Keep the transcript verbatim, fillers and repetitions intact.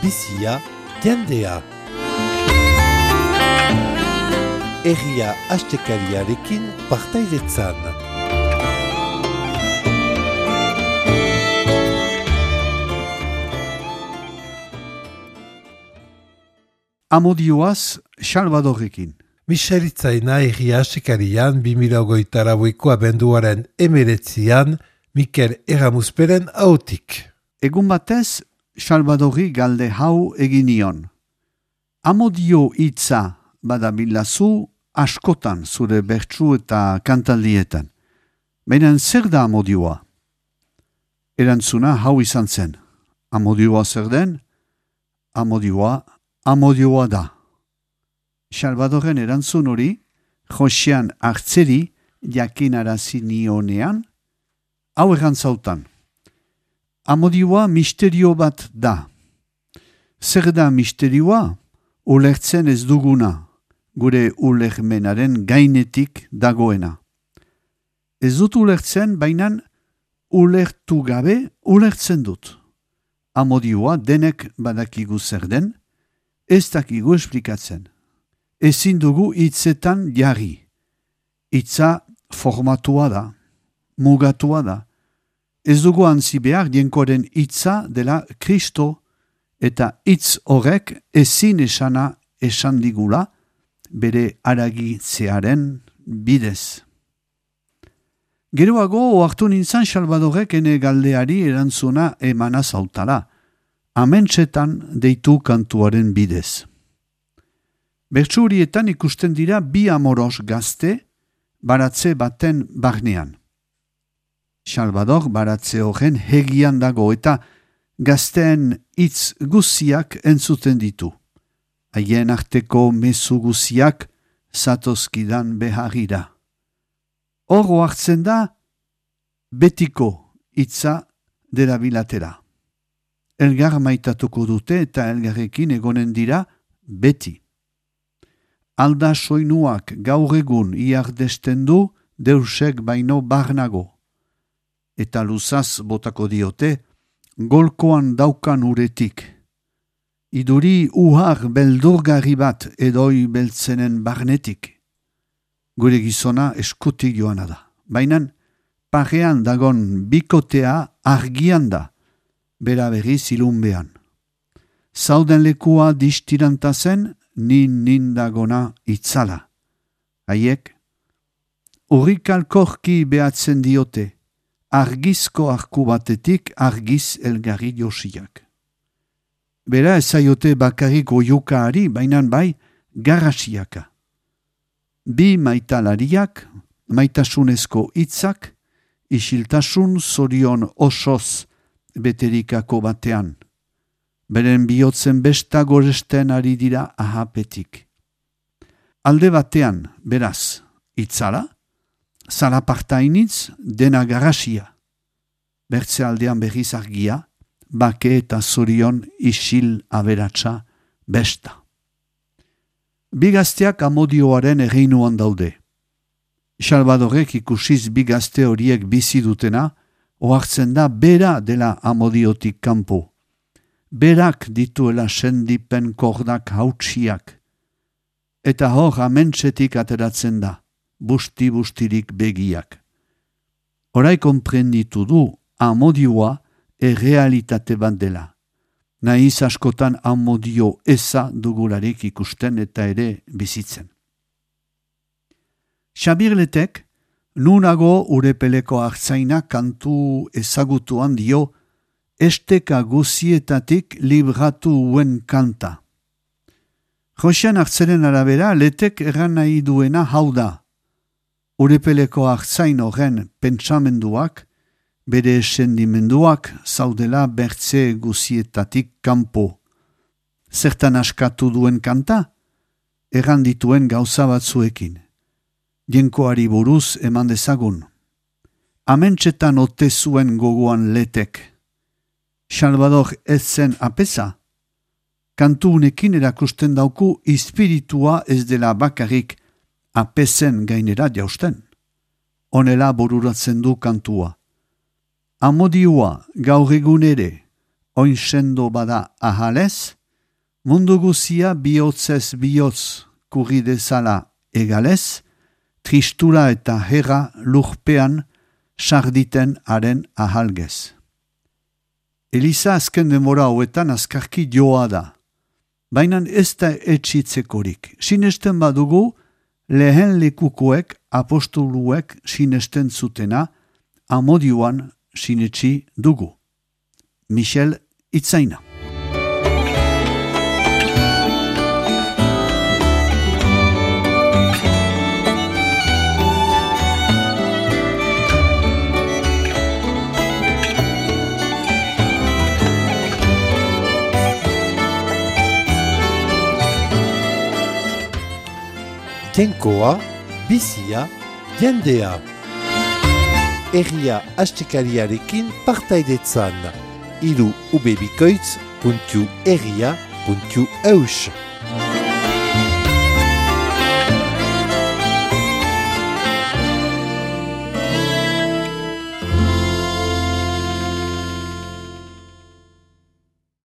bizia, jendea. Herria astekariarekin partaidetzan. Amodioaz, Salvadorrekin. Miseritzaina herria astekarian bi mila hogeita laueko abenduaren emeretzian Mikel Erramuzperen hautik. Egun batez, Salvadorri galde hau eginion. Amodio hitza badabilazu askotan zure bertsu eta kantaldietan. Baina zer da amodioa? Erantzuna hau izan zen. Amodioa zer den? Amodioa, amodioa da. Salvadorren erantzun hori, Josean hartzeri jakinarazi nionean, hau erantzautan. Amodioa misterio bat da. Zer da misterioa? Ulertzen ez duguna, gure ulermenaren gainetik dagoena. Ez dut ulertzen, bainan ulertu gabe ulertzen dut. Amodioa denek badakigu zer den, ez dakigu esplikatzen. Ezin dugu hitzetan jarri. Hitza formatua da, mugatua da. Ez dugu antzi behar dienkoaren hitza dela Kristo eta hitz horrek ezin esana esan digula bere haragitzearen bidez. Geroago ohartu nintzen Salvadorrek ene galdeari erantzuna emana zautala, amentsetan deitu kantuaren bidez. Bertsurietan ikusten dira bi amoros gazte baratze baten barnean. Salvador baratze horren hegian dago eta gazteen hitz guziak entzuten ditu. Haien arteko mezu guziak zatozkidan beharira. Hor hartzen da betiko hitza derabilatera. Elgar maitatuko dute eta elgarrekin egonen dira beti. Alda soinuak gaur egun iardesten du deusek baino barnago. Eta luzaz botako diote, golkoan daukan uretik. Iduri uhar beldurgarri bat edoi beltzenen barnetik. Gure gizona eskutik joana da. Bainan, parean dagon bikotea argian da, bera berriz ilunbean. Zauden lekua distirantazen, nin nindagona itzala. Haiek, urrikalkorki behatzen diote, argizko arku batetik argiz elgarri josiak. Bera ezaiote bakarrik oiukaari, bainan bai garrasiaka. Bi maitalariak, maitasunezko hitzak, isiltasun zorion osoz beterikako batean. Beren bihotzen besta goresten ari dira ahapetik. Alde batean, beraz, itzala, zalapartainitz dena garrasia. Bertze aldean berriz argia, bake eta zorion isil aberatsa besta. Bigazteak amodioaren erreinuan daude. Salvadorrek ikusiz bigazte horiek bizi dutena, ohartzen da bera dela amodiotik kanpo. Berak dituela sendipen kordak hautsiak. Eta hor amentsetik ateratzen da, busti-bustirik begiak. Horai konprenditu du amodioa errealitate bat dela. Naiz askotan amodio eza dugularik ikusten eta ere bizitzen. Xabirletek, nunago urepeleko hartzaina kantu ezagutuan dio esteka guzietatik libratu uen kanta. Josean hartzeren arabera, letek erran nahi duena hau da. Urepeleko hartzain horren pentsamenduak, bere sendimenduak zaudela bertze guzietatik kanpo. Zertan askatu duen kanta? Erran dituen gauza batzuekin. Jenkoari buruz eman dezagun. Amentsetan ote zuen gogoan letek. Salvador ez zen apesa. Kantu unekin erakusten dauku espiritua ez dela bakarrik apesen gainera jausten. Honela bururatzen du kantua. Amodioa gaur egun ere oin sendo bada ahalez, mundu guzia bihotzez bihotz kurri dezala egalez, tristura eta herra lurpean sarditen haren ahalgez. Eliza azken demora hauetan azkarki joa da, baina ez da etxitzekorik. Sinesten badugu, lehen lekukoek apostoluek sinesten zutena, amodioan sinetsi dugu. Michel Itzaina. Tenkoa, bizia, jendea. Herria astekariarekin partaidetzan. Iru ubebikoitz puntu herria puntu eus.